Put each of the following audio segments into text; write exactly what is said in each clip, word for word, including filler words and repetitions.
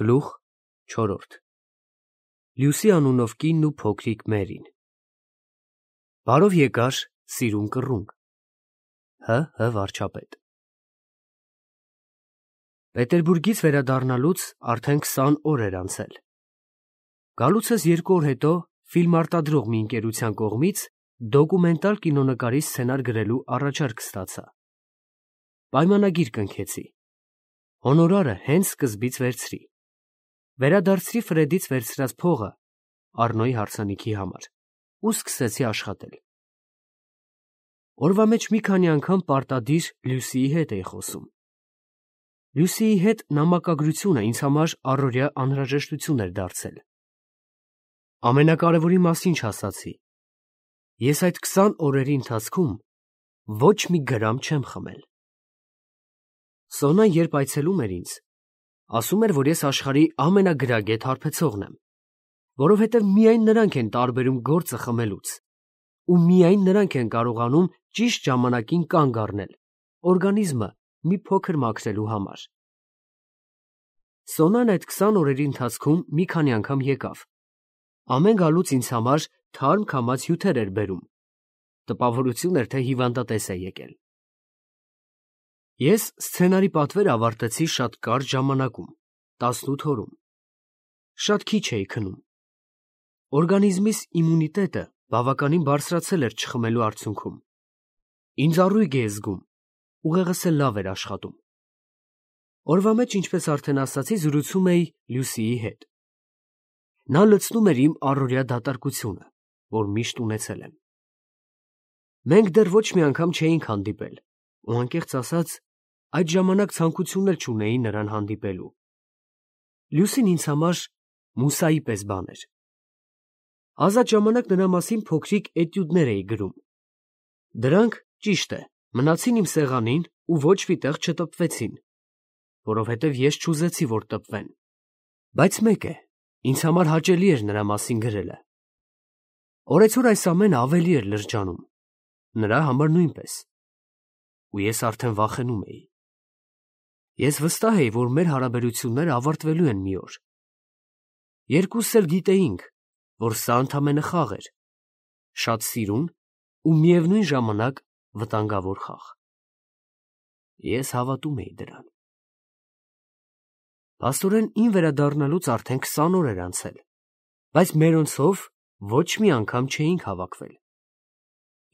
Գլուխ չորրորդ Լյուսի անունով կինն ու փոքրիկ Մերին։ Բարով եկար, սիրուն կռունկ։ Հ. Հ. վարչապետ։ Պետերբուրգից վերադառնալուց արդեն քսան օր էր անցել։ Գալուցս երկու օր հետո ֆիլմարտադրող մի ընկերության կողմից դոկումենտալ կինոնկարի սցենար գրելու առաջարկ ստացա։ Պայմանագիր կնքեցի։ Հոնորարը հենց սկզբից վերցրի։ Վերադարձրի Ֆրեդից վերցրած փողը Առնոյի հարսանիքի համար ու սկսեցի աշխատել։ Օրվա մեջ մի քանի անգամ պարտադիր Լյուսիի հետ էի խոսում։ Լյուսիի հետ նամակագրությունը ինձ համար առօրյա անհրաժեշտություն էր դարձել։ Ամենակարևորի մասին չասացի։ Ես այդ քսան օրերի ընթացքում ոչ մի գրամ չեմ խմել։ Սոնան երբ այցելում էր ինձ, ասում էր, որ ես աշխարհի ամենագրագետ հարբեցողն եմ, որովհետև միայն նրանք են տարբերում գործը խմելուց, ու միայն նրանք են կարողանում ճիշտ ժամանակին կանգ առնել, օրգանիզմը մի փոքր մաքրելու համար։ Սոնան այդ քսան օրերի ընթացքում մի քանի անգամ եկավ։ Ամեն գալուց ինձ համար թարմ քամած հյութեր էր բերում, տպավորություն էր, թե հիվանդատես է եկել։ Ես սցենարի պատվերը ավարտեցի շատ կարճ ժամանակում, տասնութ օրում։ Շատ քիչ էի քնում։ Օրգանիզմիս իմունիտետը բավականին բարձրացել էր չխմելու արդյունքում։ Ինձ առույգ էի զգում, ուղեղս էլ լավ էր աշխատում։ Օրվա մեջ, ինչպես արդեն ասացի, զրուցում էի Լյուսիի հետ։ Նա լցնում էր իմ առօրյա դատարկությունը, որ միշտ ունեցել եմ։ Մենք դեռ ոչ մի անգամ չէինք հանդիպել, ու անկեղծ ասած, այդ ժամանակ ցանկություն էլ չունեի նրան հանդիպելու։ Լյուսին ինձ համար Մուսայի պես բան էր։ Ազատ ժամանակ նրա մասին փոքրիկ էտյուդներ էի գրում։ Դրանք, ճիշտ է, մնացին իմ սեղանին ու ոչ մի տեղ չտպվեցին, որովհետև ես չուզեցի, որ տպվեն։ Բայց մեկ է, ինձ համար հաճելի էր նրա մասին գրելը։ Օրեցօր այս ամենը ավելի էր լրջանում, նրա համար նույնպես, ու ես արդեն վախենում էի։ Ես վստահ էի, որ մեր հարաբերությունները ավարտվելու են մի օր։ Երկուսս էլ գիտեինք, որ սա ընդամենը խաղ էր, շատ սիրուն ու միևնույն ժամանակ վտանգավոր խաղ։ Ես հավատում էի դրան։ Փաստորեն իմ վերադառնալուց արդեն քսան օր էր անցել, բայց մերոնցով ոչ մի անգամ չէինք հավաքվել։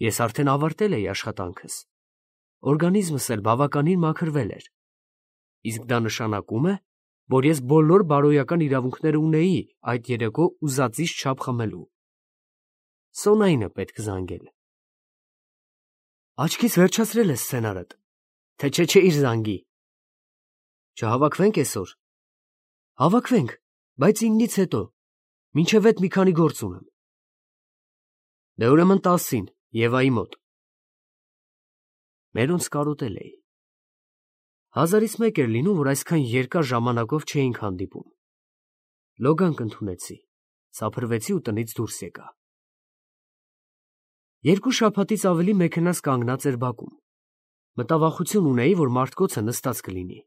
Ես արդեն ավարտել էի աշխատանքս, օրգանիզմս էլ բավականին մաքրվել էր, իսկ դա նշանակում է, որ ես բոլոր բարոյական իրավունքները ունեի այդ երեկո ուզածից չափ խմելու։ Սոնային է պետք զանգել։ Աչքից վերջացրել ես սցենարդ, թե չէ չէ իր զանգի։ Չհավաքվենք այսօր։ Հավաքվենք, բայց ինձնից հետո, մինչև այդ մի քանի գործ ունեմ։ Դե ուրեմն տասին, Եվայի մոտ։ Մերոնց կարոտել էի։ Հազարից մեկ էր լինում, որ այսքան երկար ժամանակով չէինք հանդիպում։ Լոգանք ընդունեցի, սափրվեցի ու տնից դուրս եկա։ Երկու շաբաթից ավելի մեքենաս կանգնած էր բակում։ Մտավախություն ունեի, որ մարդկոցը նստած կլինի։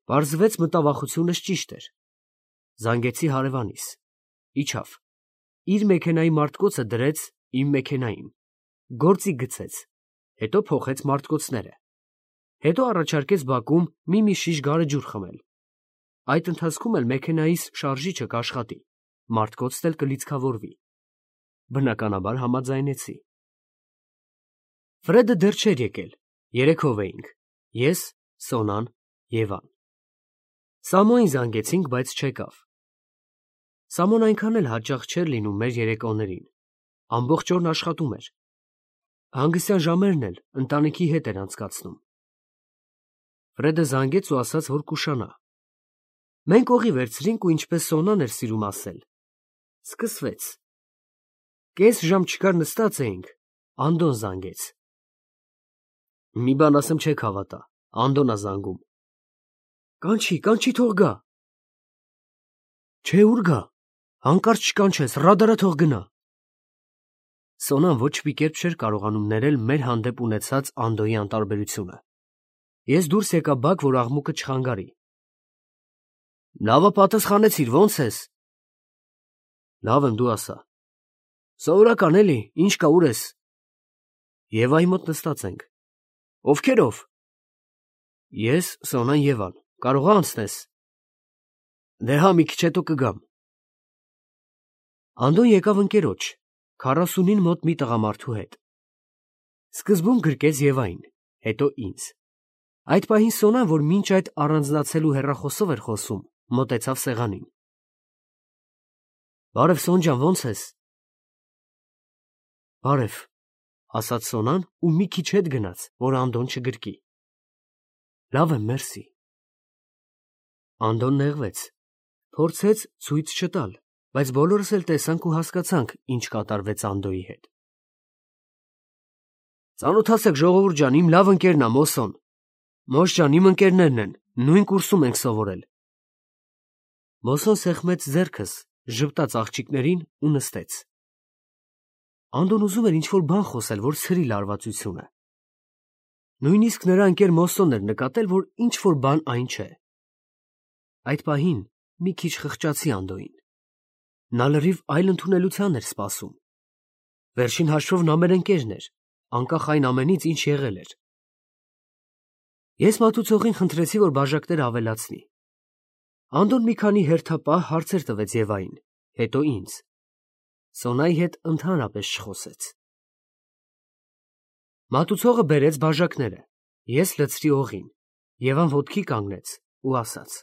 Պարզվեց մտավախությունս ճիշտ էր։ Զանգեցի հարևանիս։ Իջավ։ Իր մեքենայի մարտկոցը դրեց իմ մեքենային, գործի գցեց, հետո փոխեց մարտկոցները, հետո առաջարկեց բակում մի-մի շիշ գարեջուր խմել։ Այդ ընթացքում էլ մեքենայիս շարժիչը կաշխատի, մարտկոցն էլ կլիցքավորվի։ Բնականաբար համաձայնեցի։ Ֆրեդը դեռ չէր եկել, երեքով էինք, ես, Սոնան, Եվան։ Սամոյին զանգեցինք, բայց չեկավ։ Սամոն այնքան էլ հաճախ չէր լինում մեր երեկոներին, ամբողջ օրն աշխատում էր։ Հանգստյան ժամերն էլ ընտանիքի հետ էր անցկացնում։ Ֆրեդը զանգեց ու ասաց, որ կուշանա։ Մենք օղի վերցրինք ու ինչպես Սոնան էր սիրում ասել, սկսվեց։ Կես ժամ չկար նստած էինք, Անդոն զանգեց։ Մի բան ասեմ չեք հավատա, Անդոն ա զանգում։ Կանչի, կանչի թող գա։ Չէ, ուր գա, հանկարծ չկանչես, ռադարա թող գնա։ Սոնան ոչ մի կերպ չէր կարողանում ներել մեր հանդեպ ունեցած Անդոյի անտարբերությունը։ Ես դուրս եկա բակ, որ աղմուկը չխանգարի։ Լավը պատասխանեցիր, ո՞նց ես։ Լավ եմ, դու ասա։ Սովորական էլի, ինչ կա, ուր ես։ Եվայի մոտ նստած ենք։ Ովքերով։ Ես, Սոնան, Եվան, կարող ա անցնես։ Դե հա, մի քիչ հետո կգամ։ Անդոն եկավ ընկերոջ, քառասունին մոտ մի տղամարդու հետ։ Սկզբում գրկեց Եվային, հետո ինձ։ Այդ պահին Սոնան, որ մինչ այդ առանձնացելու հեռախոսով էր խոսում, մոտեցավ սեղանին։ Բարև, Սոն ջան, ո՞նց ես։ Բարև, ասաց Սոնան ու մի քիչ հետ գնաց, որ Անդոն չգրկի։ Լավ եմ, մերսի։ Անդոն նեղվեց, փորձեց ցույց չտալ, բայց բոլորս էլ տեսանք ու հասկացանք, ինչ կատարվեց Անդոյի հետ։ Ծանոթացեք, ժողովուրդ ջան, իմ լավ ընկերն ա Մոսոն։ Մոս ջան, իմ ընկերներն են, նույն կուրսում ենք սովորել։ Մոսոն սեղմեց ձեռքս, ժպտաց աղջիկներին ու նստեց։ Անդոն ուզում էր ինչ-որ բան խոսել, որ ցրի լարվածությունը։ Նույնիսկ նրա ընկեր Մոսոն էր նկատել, որ ինչ-որ բան այն չէ։ Այդ պահին մի քիչ խղճացի Անդոյին։ Նա լրիվ այլ ընդունելության էր սպասում։ Վերջին հաշվով նա մեր ընկերն էր, անկախ այն ամենից, ինչ եղել էր։ Ես մատուցողին խնդրեցի, որ բաժակները ավելացնի։ Անդոն մի քանի հերթապահ հարցեր տվեց Եվային, հետո ինձ։ Սոնայի հետ ընդհանրապես չխոսեց։ Մատուցողը բերեց բաժակները, ես լցրի օղին, Եվան ոտքի կանգնեց ու ասաց.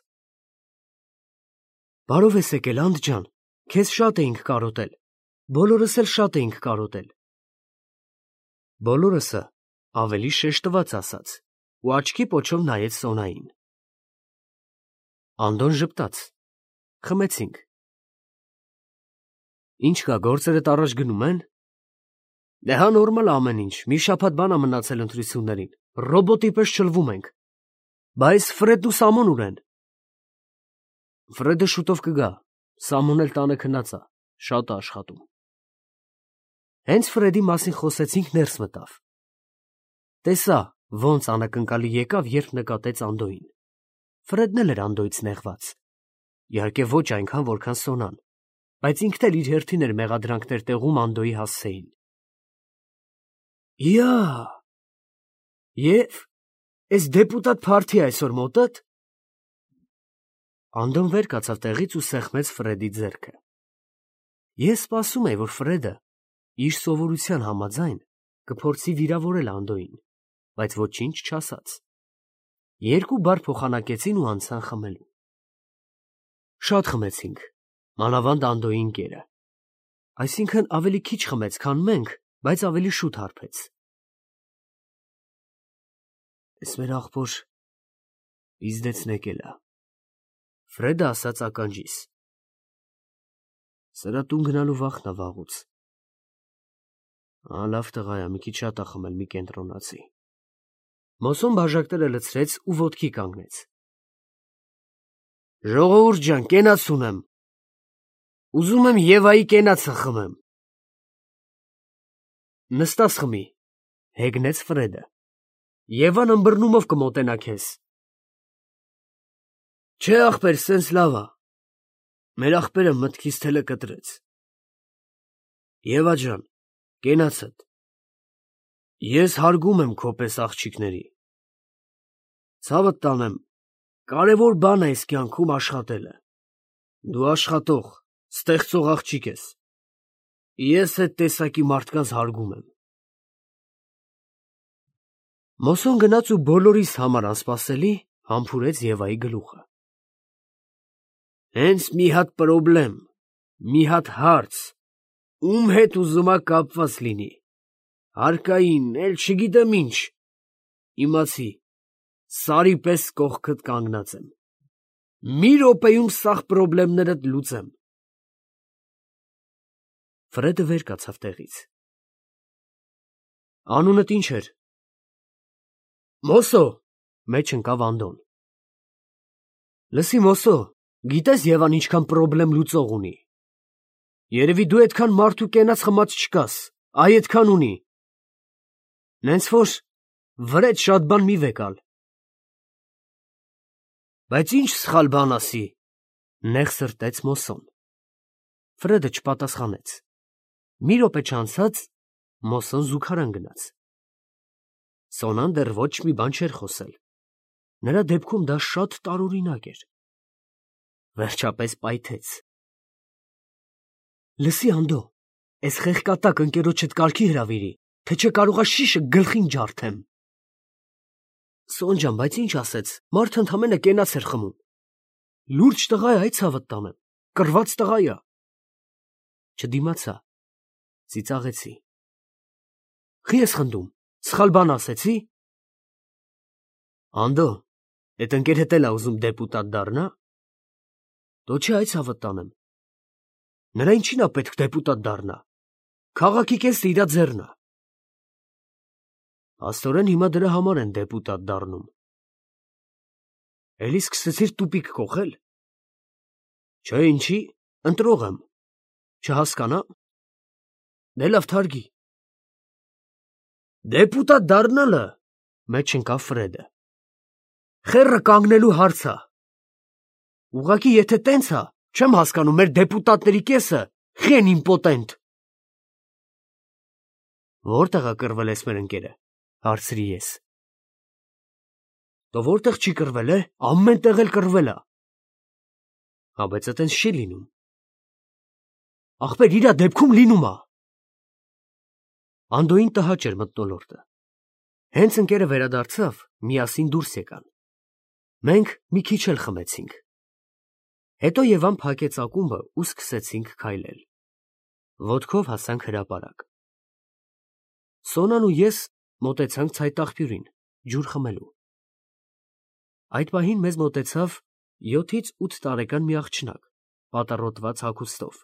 Բարով ես եկել, Անդ ջան, քեզ շատ էինք կարոտել, բոլորս էլ շատ էինք կարոտել։ Բոլորսը ավելի շեշտված ասաց ու աչքի պոչով նայեց Սոնային։ Անդոն ժպտաց, խմեցինք։ Ինչ կա, գործերդ առաջ գնում են։ Դե հա նորմալ ամեն ինչ, մի շաբաթ բան ա մնացել ընտրություններին, ռոբոտի պես չլվում ենք։ Բայց Ֆրեդն ու Սամոն ուր են։ Ֆրեդը շուտով կգա, Սամոն էլ տանը քնած ա, շատ ա աշխատում։ Հենց Ֆրեդի մասին խոսեցինք, ներս մտավ։ Տեսա, ոնց անակնկալի եկավ, երբ նկատեց Անդոյին։ Ֆրեդն էլ էր Անդոյից նեղված։ Իհարկե ոչ այնքան, որքան Սոնան, բայց ինքն էլ իր հերթին էր մեղադրանքներ տեղում Անդոյի հասցեին։ Յա! Եվ էս դեպուտատ փարթի այսօր մոտդ։ Անդոն վեր կացավ տեղից ու սեղմեց Ֆրեդի ձեռքը։ Ես սպասում էի, որ Ֆրեդը իր սովորության համաձայն կփորձի վիրավորել Անդոյին, բայց ոչինչ չասաց։ Երկու բառ փոխանակեցին ու անցան խմելու։ Շատ խմեցինք, մանավանդ Անդոյի ընկերը։ Այսինքն ավելի քիչ խմեց, քան մենք, բայց ավելի շուտ հարբեց։ Էս մեր աղբոր իզդեցն եկել ա, Ֆրեդը ասաց ականջիս։ Սրա տուն գնալու վախն ա վաղուց։ Ա, լավ տղա ա, մի քիչ շատ ա խմել, մի կենտրոնացի։ Մոսոն բաժակները լցրեց ու ոտքի կանգնեց։ Ժողովուրդ ջան, կենաց ունեմ։ Ուզում եմ Եվայի կենացը խմեմ։ Նստած խմի, հեգնեց Ֆրեդը։ Եվան ըմբռնումով կմոտենա քեզ։ Չէ ախպեր, սենց լավ ա։ Մեր ախպերը մտքից թելը կտրեց։ Եվա ջան, կենացդ։ Ես հարգում եմ քո պես աղջիկների։ Ցավդ տանեմ, կարևոր բան է այս կյանքում աշխատելը։ Դու աշխատող, ստեղծող աղջիկ ես։ Ես այդ տեսակի մարդկանց հարգում եմ։ Մոսոն գնաց ու բոլորիս համար անսպասելի համբուրեց Եվայի գլուխը։ Հենց մի հատ պրոբլեմ, մի հատ հարց, ում հետ ուզում ա կապված լինի։ Հարկային, էլ չգիտեմ ինչ։ Իմացի, սարի պես կողքդ կանգնած եմ։ Մի րոպեում սաղ պրոբլեմներդ լուծեմ։ Ֆրեդը վեր կացավ տեղից։ Անունդ ինչ էր։ Մոսո, մեջ ընկավ Անդոն։ Լսի Մոսո, գիտես Եվան ինչքան պրոբլեմ լուծող ունի։ Երևի դու այդքան մարդու կենաց խմած չկաս, այ այդքան ունի։ Նենց որ վրեջ շատ բան մի վեկալ։ Բայց ինչ սխալ բան ասի, Նեղ սրտեց Մոսոն։ Ֆրեդը չպատասխանեց։ Մի րոպե չանցած Մոսոն զուգարան գնաց։ Սոնան դեռ ոչ մի բան չէր խոսել։ Նրա դեպքում դա շատ տարօրինակ էր։ Վերջապես պայթեց։ Լսի, Անդո, էս խեղկատակ ընկերոջդ կարգի հրավիրի, թե չէ կարողա շիշը գլխին ջարդեմ։ Սոն ջան, բայց ինչ ասեց, մարդը ընդամենը կենաց էր խմում։ Լուրջ տղա է, այդ ցավդ տանեմ, կռված տղա է։ Չդիմացա, ծիծաղեցի։ Խի ես խնդում, սխալ բան ասեցի։ Անդո, էդ ընկեր հետ էլ ա ուզում դեպուտատ դառնա։ Դո չէ, այդ ցավդ տանեմ։ Նրա ինչին ա պետք դեպուտատ դառնա։ Քաղաքի կեսը իրա ձեռն ա։ Աստորեն հիմա դրա համար են դեպուտատ դառնում։ Էլի սկսեցիր տուպիկ կողել։ Չէ, ինչի, ընտրող եմ։ Չհասկանա։ Դե լավ թարգի։ Դեպուտատ դառնալը, մեջ ընկավ Ֆրեդը։ Խեռը կանգնելու հարց ա։ Ուղղակի եթե տենց ա, չեմ հասկանում, մեր դեպուտատների կեսը խեն իմպոտենտ։ Որտեղ ա կռվել ես մեր ընկերը, հարցրի ես։ Դո որտեղ չի կռվել է, ամեն տեղ էլ կռվել ա։ Հա, բայց այտենց չի լինում։ Ախպեր, իրա դեպքում լինում ա։ Անդոյին տհաճ էր մթնոլորտը։ Հենց ընկերը վերադարձավ, միասին դուրս եկան։ Մենք մի քիչ էլ խմեցինք։ Հետո Եվան փակեց ակումբը ու սկսեցինք քայլել։ Ոտքով հասանք հրապարակ։ Սոնան ու ես մոտեցանք ցայտաղբյուրին, ջուր խմելու։ Այդ պահին մեզ մոտեցավ յոթից ութ տարեկան մի աղջնակ, պատառոտված հագուստով։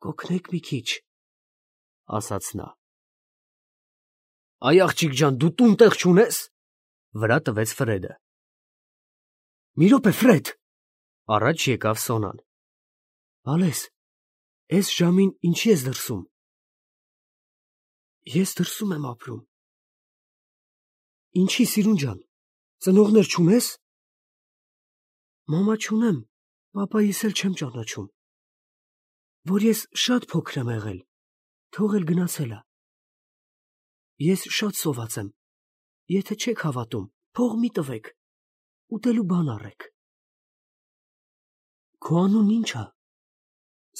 Կօգնեք մի քիչ, ասաց նա։ Այ աղջիկ ջան, դու տուն տեղ չունես, վրա տվեց Ֆրեդը։ Մի րոպե, Ֆրեդ, առաջ եկավ Սոնան։ Ալես, էս ժամին ինչի ես դրսում։ Ես դրսում եմ ապրում։ Ինչի, սիրուն ջան, ծնողներ չունես։ Մամա չունեմ, պապայիս էլ չեմ ճանաչում, որ ես շատ փոքր եմ եղել, թող էլ գնացել ա։ Ես շատ սոված եմ, եթե չեք հավատում, փող մի տվեք, ուտելու բան առեք։ Քո անուն ի՞նչ ա։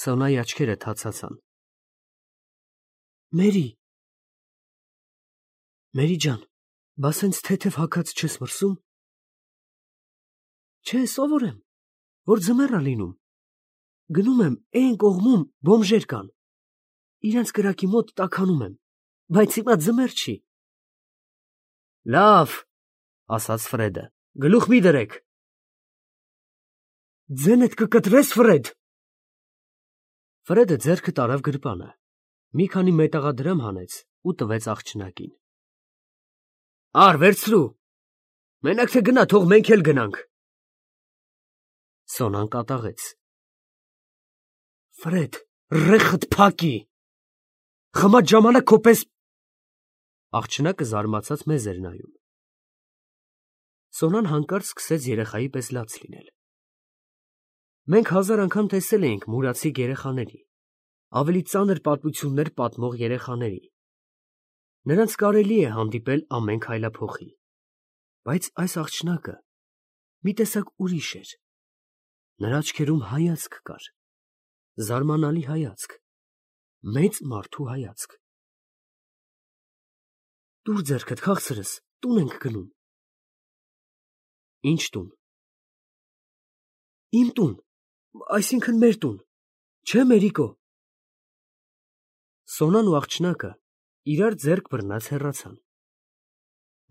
Սոնայի աչքերը թացացան։ Մերի։ Մերի ջան, բա սենց թեթև հագած չես մրսում։ Չէ, սովոր եմ, որ ձմեռ ա լինում։ Գնում եմ, էն կողմում բոմժեր կան։ Իրանց կրակի մոտ տաքանում եմ, բայց հիմա ձմեռ չի։ Լավ, ասաց Ֆրեդը, գլուխ մի դրեք։ Ձենդ կկտրես, Ֆրեդ։ Ֆրեդը ձեռքը տարավ գրպանը, մի քանի մետաղադրամ հանեց ու տվեց աղջնակին։ Ար, վերցրու։ Մենակ թե գնա, թող մենք էլ գնանք։ Սոնան կատաղեց։ Ֆրեդ, ռեխդ փակի։ Խմած ժամանակ քո պես։ Աղջնակը զարմացած մեզ էր նայում։ Սոնան հանկարծ սկսեց երեխայի պես լաց լինել։ Մենք հազար անգամ տեսել էինք մուրացիկ երեխաների, ավելի ծանր պատմություններ պատմող երեխաների։ Նրանց կարելի է հանդիպել ամեն քայլափոխի, բայց այս աղջնակը մի տեսակ ուրիշ էր։ Նրա աչքերում հայացք կար, զարմանալի հայացք, մեծ մարդու հայացք։ Տուր ձեռքդ, քաղցրս, տուն ենք գնում։ Ինչ տուն։ Իմ տուն, այսինքն մեր տուն, չէ Մերիկո։ Սոնան ու աղջնակը իրար ձեռք բռնած հեռացան։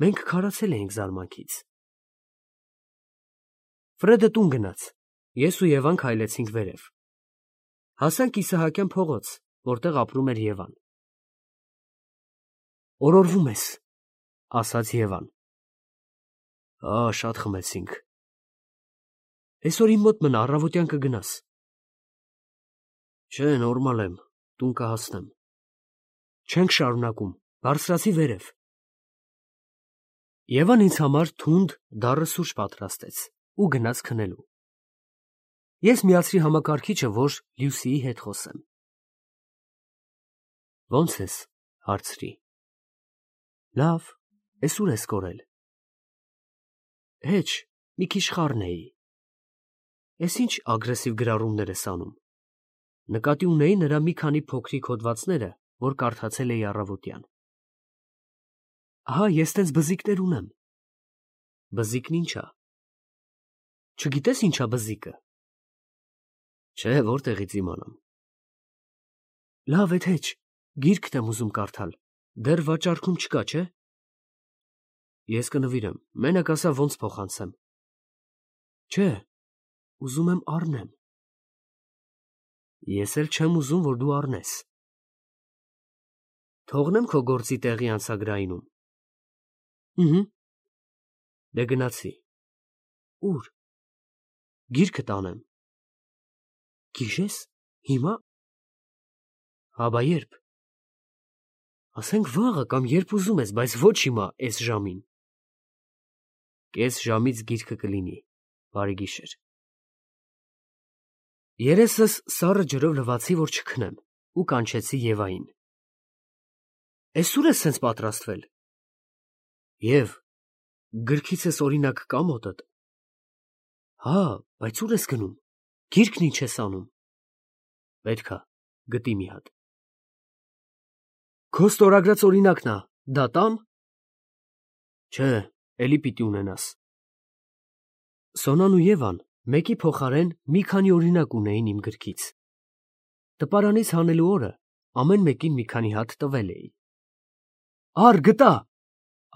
Մենք քարացել էինք զարմանքից։ Ֆրեդը տուն գնաց, ես ու Եվան քայլեցինք վերև։ Հասանք Իսահակյան փողոց, որտեղ ապրում էր Եվան։ Օրորվում ես, ասաց Եվան։ Ա, շատ խմեցինք։ Այսօր իմ մոտ մնա, առավոտյան կգնաս։ Չէ, նորմալ եմ, տուն կհասնեմ։ Չենք շարունակում, բարձրացի վերև։ Եվան ինձ համար թունդ դառը սուրճ պատրաստեց ու գնաց քնելու։ Ես միացրի համակարգիչը, որ Լյուսիի հետ խոսեմ։ Ո՞նց ես, հարցրի։ Լավ, ես ուր ես կորել։ Հեչ, մի քիչ խառն էի։ Ես ինչ ագրեսիվ գրառումներ ես անում։ Նկատի ունեի նրա մի քանի փոքրիկ հոդվածները, որ կարդացել էի առավոտյան։ Ահա, ես տենց բզիկներ ունեմ։ Բզիկն ի՞նչ է։ Չգիտես ի՞նչ է բզիկը։ Չէ, որտեղից իմանամ։ Լավ է, հեչ, գիրքդ եմ ուզում կարդալ, դեռ վաճառքում չկա, չէ։ Ես կնվիրեմ, մենակ ասա ոնց փոխանցեմ։ Չէ, ուզում եմ առնեմ։ Ես էլ չեմ ուզում, որ դու առնես։ Թողնեմ քո գործի տեղի անցագրայինում։ Ահա։ Դե գնացի։ Ուր։ Գիրքը տանեմ։ Գիշես, հիմա։ Հաբա երբ։ Ասենք վաղը կամ երբ ուզում ես, բայց ոչ հիմա, այս ժամին։ Կես ժամից գիրքը կլինի, բարի գիշեր։ Երեսս սառը ջրով լվացի, որ չքնեմ, ու կանչեցի Եվային։ Էս ուր ես սենց պատրաստվել։ Եվ, գրքիցս օրինակ կա մոտդ։ Հա, բայց ուր ես գնում, գիրքն ինչ ես անում։ Պետք է, գտի մի հատ։ Քո ստորագրած օրինակն ա, դա տամ։ Չէ, էլի պիտի ունենաս։ Սոնան ու Եվան մեկի փոխարեն մի քանի օրինակ ունեին իմ գրքից։ Տպարանից հանելու օրը ամեն մեկին մի քանի հատ տվել էի։ Ար գտա,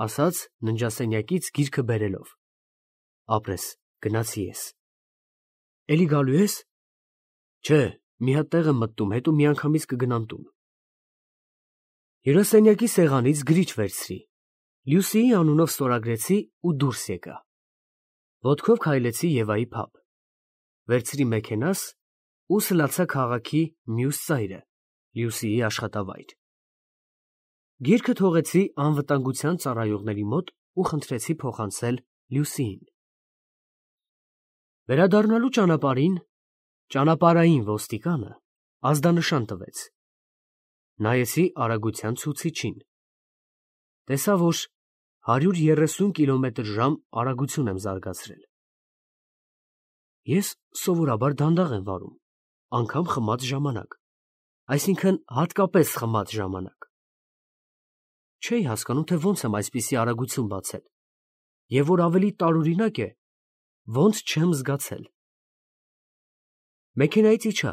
ասաց ննջասենյակից գիրքը բերելով։ Ապրես, գնացի ես։ Էլի գալու ես։ Չէ, մի հատ տեղ եմ մտնում, հետո միանգամից կգնամ տուն։ Հյուրասենյակի սեղանից գրիչ վերցրի, Լյուսիի անունով ստորագրեցի ու դուրս եկա։ Ոտքով քայլեցի Եվայի փաբ։ Վերցրի մեքենաս ու սլացա քաղաքի մյուս ծայրը, Լյուսիի աշխատավայր։ Գիրքը թողեցի անվտանգության ծառայողների մոտ ու խնդրեցի փոխանցել Լյուսիին։ Վերադառնալու ճանապարհին ճանապարհային ոստիկանը ազդանշան տվեց։ Նայեցի արագության ցուցիչին։ Տեսա, որ հարյուր երեսուն կիլոմետր ժամ արագություն եմ զարգացրել։ Ես սովորաբար դանդաղ եմ վարում, անգամ խմած ժամանակ, այսինքն հատկապես խմած ժամանակ։ Չէի հասկանում, թե ոնց եմ այսպիսի արագություն բացել, և որ ավելի տարօրինակ է, ոնց չեմ զգացել։ Մեքենայից իջա,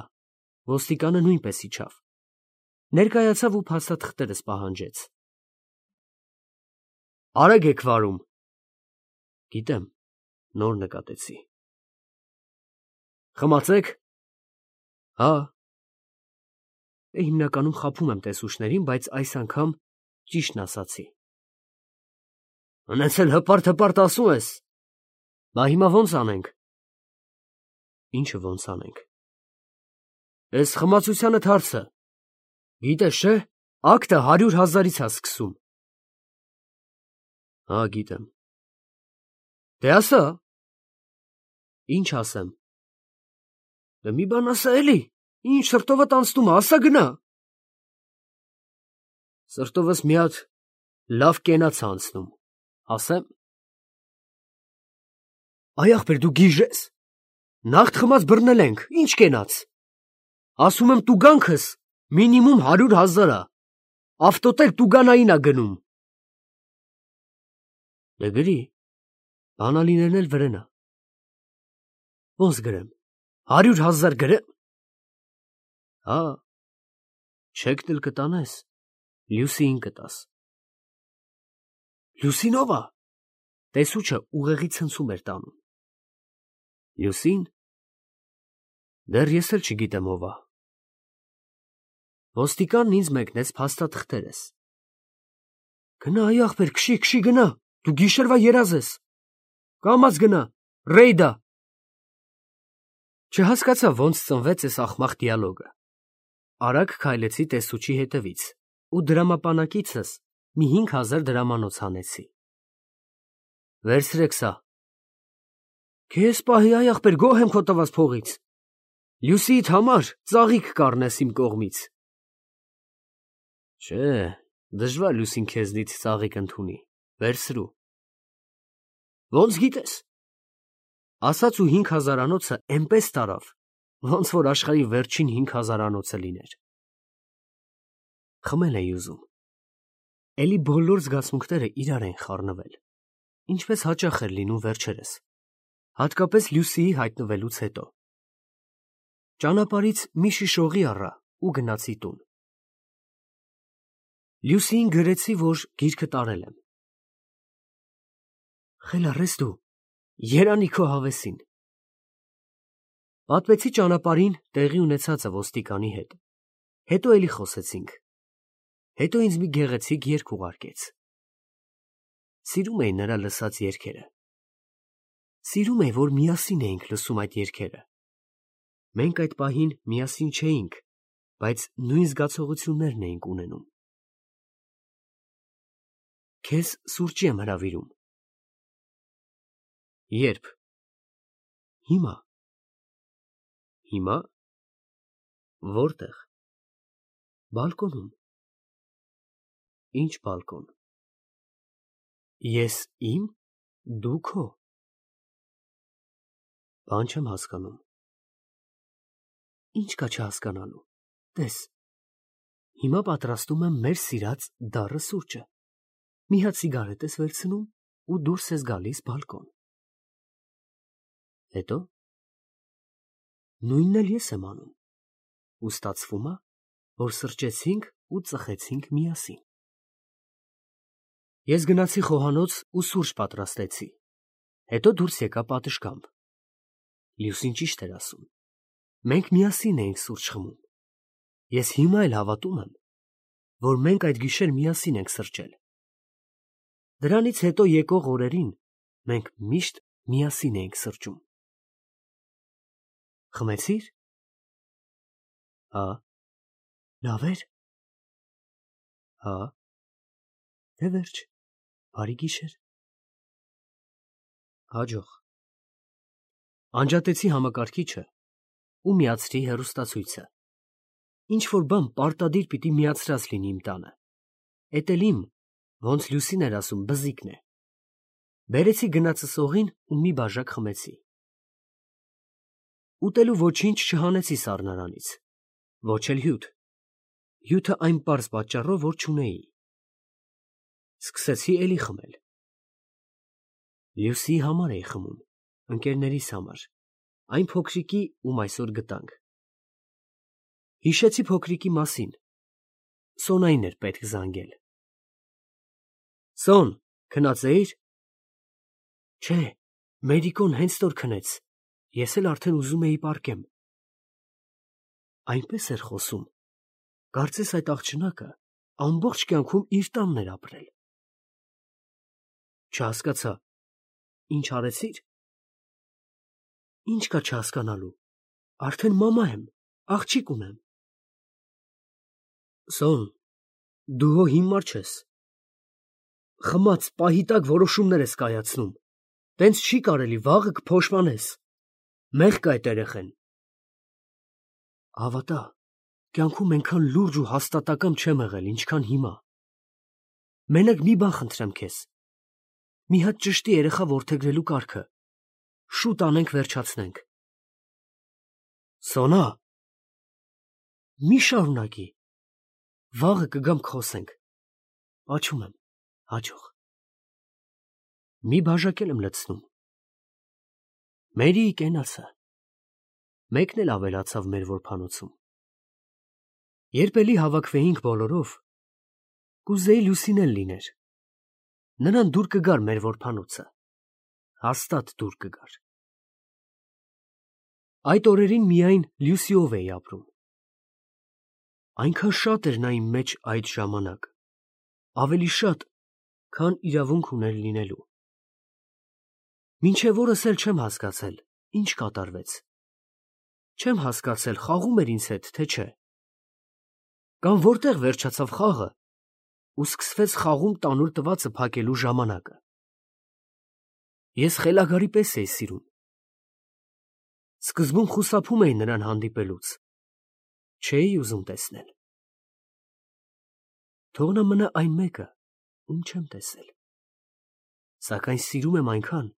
ոստիկանը նույնպես իջավ, ներկայացավ ու փաստաթղթերս պահանջեց։ Արագ եք վարում։ Գիտեմ, նոր նկատեցի։ Խմացեք։ Հա։ Հիմնականում խաբում եմ տեսուչներին, բայց այս անգամ ճիշտն ասացի։ Ունեցել հպարտ-հպարտ ասում ես։ Բա հիմա ոնց անենք։ Ինչը ոնց անենք։ Էս խմացությանդ հարցը։ Գիտես չէ, ակտը հարյուր հազարից ա սկսում։ Հա, գիտեմ։ Դե ասա։ Ինչ ասեմ։ Դե մի բան ասա էլի, ինչ սրտովդ անցնում ա, ասա գնա։ Սրտովս մի հատ լավ կենաց անցնում, ասեմ։ Այ ախպեր, դու գիժես։ Նախտ խմած բռնել ենք, ինչ կենաց։ Ասում եմ տուգանքս մինիմում հարյուր հազար ա, ավտոտել տուգանային ա գնում։ Դե գրի, բանալիներն էլ վրեն ա։ Ոնց գրեմ, հարյուր հազար գրեմ։ Հա, չեկն էլ կտանես, Լյուսիին կտաս։ Լյուսին ով ա։ Տեսուչը ուղեղի ցնցում էր տանում։ Լյուսին։ Դեռ ես էլ չգիտեմ ով ա։ Ոստիկանն ինձ մեկնեց փաստաթղթերս։ Գնա, այ ախպեր, քշի, քշի գնա, դու գիշերվա երազ ես։ Կամաց գնա, ռեյդ ա։ Չհասկացա ոնց ծնվեց այս ախմախ դիալոգը։ Արագ քայլեցի տեսուչի հետևից ու դրամապանակիցս մի հինգ հազար դրամանոց հանեցի։ Վերցրեք սա։ Քեզ պահի, այ ախպեր, գոհ եմ քո տված փողից։ Լյուսիիդ համար ծաղիկ կառնես իմ կողմից։ Չէ, դժվար Լյուսին քեզնից ծաղիկ ընդունի, վերցրու։ Ոնց գիտես։ Ասաց ու հինգ հազարանոցը էնպես տարավ, ոնց որ աշխարհի վերջին հինգ հազարանոցը լիներ։ Խմել էի ուզում։ Էլի բոլոր զգացմունքները իրար են խառնվել, ինչպես հաճախ էր լինում վերջերս, հատկապես Լյուսիի հայտնվելուց հետո։ Ճանապարհից մի շիշ օղի առա ու գնացի տուն։ Լյուսիին գրեցի, որ գիրքը տարել եմ։ Խելառ ես դու, երանի քո հավեսին։ Պատմեցի ճանապարհին տեղի ունեցածը ոստիկանի հետ, հետո էլի խոսեցինք, հետո ինձ մի գեղեցիկ երգ ուղարկեց։ Սիրում էի նրա լսած երգերը։ Սիրում էի, որ միասին էինք լսում այդ երգերը։ Մենք այդ պահին միասին չէինք, բայց նույն զգացողություններն էինք ունենում։ Քեզ սուրճի եմ հրավիրում։ Երբ։ Հիմա։ Հիմա։ Որտեղ։ Բալկոնում։ Ինչ բալկոն։ Ես իմ, դու քո։ Բան չեմ հասկանում։ Ինչ կա չհասկանալու։ Տես։ Հիմա պատրաստում եմ մեր սիրած դառը սուրճը։ Մի հատ սիգարետ ես վերցնում ու դուրս ես գալիս բալկոն։ Հետո։ Նույնն էլ ես եմ անում։ Ու ստացվում է, որ սրճեցինք ու ծխեցինք միասին։ Ես գնացի խոհանոց ու սուրճ պատրաստեցի։ Հետո դուրս եկա պատշգամբ։ Լյուսին ճիշտ էր ասում։ Մենք միասին էինք սուրճ խմում։ Ես հիմա էլ հավատում եմ, որ մենք այդ գիշեր միասին ենք սրճել։ Դրանից հետո եկող օրերին մենք միշտ միասին էինք սրճում։ Խմեցի՞ր։ Հա։ Լավ էր։ Հա։ Դե վերջ, բարի գիշեր։ Հաջող։ Անջատեցի համակարգիչը ու միացրի հեռուստացույցը։ Ինչ որ բան պարտադիր պիտի միացրած լինի իմ տանը։ Էդ էլ իմ, ոնց Լյուսին էր ասում, բզիկն է։ Բերեցի գնացս օղին ու մի բաժակ խմեցի։ Ուտելու ոչինչ չհանեցի սառնարանից, ոչ էլ հյութ։ Հյութը այն պարզ պատճառով, որ չունեի։ Սկսեցի էլի խմել։ Լյուսիի համար էի խմում, ընկերներիս համար, այն փոքրիկի, ում այսօր գտանք։ Հիշեցի փոքրիկի մասին։ Սոնային էր պետք զանգել։ Սոն, քնած էիր։ Չէ, Մերիկոն հենց որ քնեց, ես էլ արդեն ուզում էի պառկեմ։ Այնպես էր խոսում, կարծես այդ աղջնակը ամբողջ կյանքում իր տանն էր ապրել։ Չհասկացա, ինչ արեցիր։ Ինչ կա չհասկանալու, արդեն մամա եմ, աղջիկ ունեմ։ Սոն, դու հո հիմար չես։ Խմած պահի տակ որոշումներ ես կայացնում, տենց չի կարելի, վաղը կփոշմանես, մեղք կա այդ երեխեն։ Հավատա, կյանքում այնքան լուրջ ու հաստատակամ չեմ եղել, ինչքան հիմա։ Մենակ մի բան խնդրեմ քեզ, մի հատ ճշտի երեխա որդեգրելու կարգը, շուտ անենք վերջացնենք։ Սոնա, մի շարունակի, վաղը կգամ կխոսենք, աչում եմ, հաջող։ Մի բաժակ էլ եմ լցնում։ Մերի կենացը, մեկն էլ ավելացավ մեր որբանոցում։ Երբ էլի հավաքվեինք բոլորով, կուզեի Լյուսին էլ լիներ։ Նրան դուր կգար մեր որբանոցը, հաստատ դուր կգար։ Այդ օրերին միայն Լյուսիով էի ապրում։ Այնքան շատ էր նա իմ մեջ այդ ժամանակ, ավելի շատ, քան իրավունք ուներ լինելու։ Մինչև օրս էլ չեմ հասկացել, ինչ կատարվեց։ Չեմ հասկացել, խաղում էր ինձ հետ, թե չէ։ Կամ որտեղ վերջացավ խաղը ու սկսվեց խաղում տանուլ տվածը փակելու ժամանակը։ Ես խելագարի պես էի սիրում։ Սկզբում խուսափում էի նրան հանդիպելուց, չէի ուզում տեսնել։ Թող նա մնա այն մեկը, ում չեմ տեսել, սակայն սիրում եմ այնքան,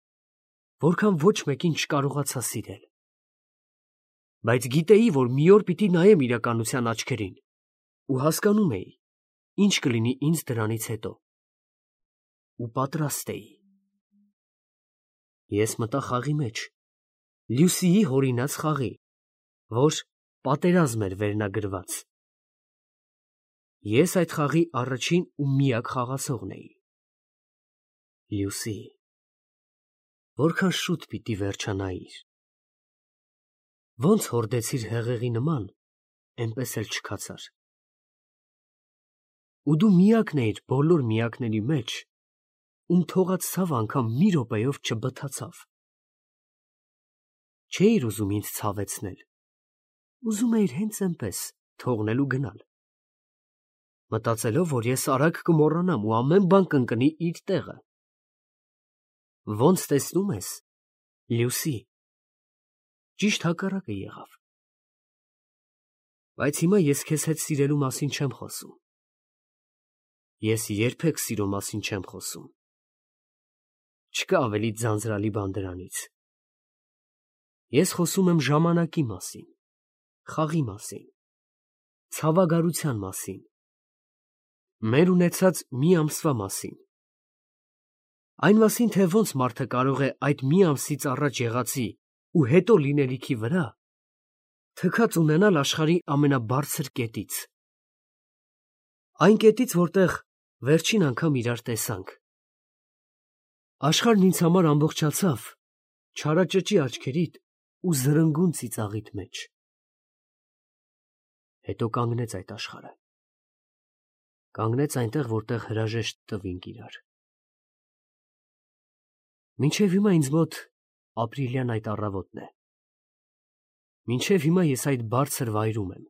որքան ոչ մեկին չկարողացա սիրել։ Բայց գիտեի, որ մի օր պիտի նայեմ իրականության աչքերին ու հասկանում էի, ինչ կլինի ինձ դրանից հետո, ու պատրաստ էի։ Ես մտա խաղի մեջ, Լյուսիի հորինած խաղի, որ պատերազմ էր վերնագրված։ Ես այդ խաղի առաջին ու միակ խաղացողն էի։ Լյուսի, որքան շուտ պիտի վերջանայիր։ Ոնց հորդեցիր հեղեղի նման, էնպես էլ չքացար։ Ու դու միակն էիր բոլոր միակների մեջ, ում թողած ցավը անգամ մի րոպեով չբթացավ։ Չէիր ուզում ինձ ցավեցնել, ուզում էիր հենց էնպես թողնել ու գնալ, մտածելով, որ ես արագ կմոռանամ ու ամեն բան կընկնի իր տեղը։ Ոնց տեսնում ես, Լյուսի, ճիշտ հակառակը եղավ։ Բայց հիմա ես քեզ հետ սիրելու մասին չեմ խոսում։ Ես երբեք սիրո մասին չեմ խոսում։ Չկա ավելի ձանձրալի բան դրանից։ Ես խոսում եմ ժամանակի մասին, խաղի մասին, ցավագարության մասին, մեր ունեցած մի ամսվա մասին։ Այն մասին, թե ոնց մարդը կարող է այդ մի ամսից առաջ եղածի ու հետո լինելիքի վրա թքած ունենալ աշխարհի ամենաբարձր կետից։ Այն կետից, որտեղ վերջին անգամ իրար տեսանք։ Աշխարհն ինձ համար ամբողջացավ չարաճճի աչքերիդ ու զրնգուն ծիծաղիդ մեջ։ Հետո կանգնեց այդ աշխարհը։ Կանգնեց այնտեղ, որտեղ հրաժեշտ տվինք իրար։ Մինչև հիմա ինձ մոտ ապրիլյան այդ առավոտն է։ Մինչև հիմա ես այդ բարձր վայրում եմ։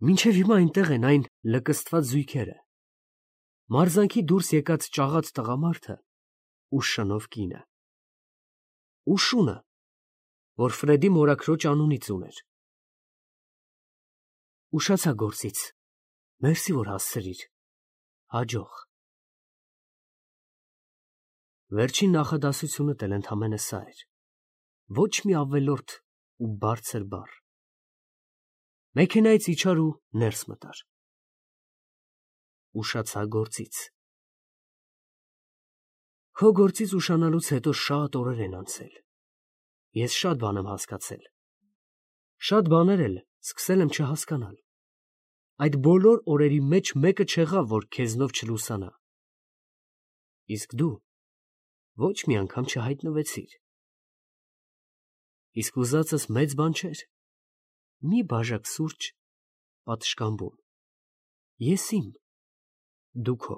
Մինչև հիմա այնտեղ են այն լկստված զույգերը, մարզանքի դուրս եկած ճաղած տղամարդը ու շնով կինը, ու շունը, որ Ֆրեդի մորաքրոջ անունից ուներ։ Ուշացա գործից, մերսի, որ հասցրիր, հաջող։ Վերջին նախադասությունդ էլ ընդամենը սա էր, ոչ մի ավելորդ ու բարձր բառ։ Մեքենայից իջար ու ներս մտար։ Ուշացա գործից։ Քո գործից ուշանալուց հետո շատ օրեր են անցել։ Ես շատ բան եմ հասկացել։ Շատ բաներ էլ սկսել եմ չհասկանալ։ Այդ բոլոր օրերի մեջ մեկը չեղավ, որ քեզնով չլուսանա։ Իսկ դու ոչ մի անգամ չհայտնվեցիր։ Իսկ ուզածս մեծ բան չէր։ Մի բաժակ սուրճ պատշգամբում։ Ես իմ, դու քո։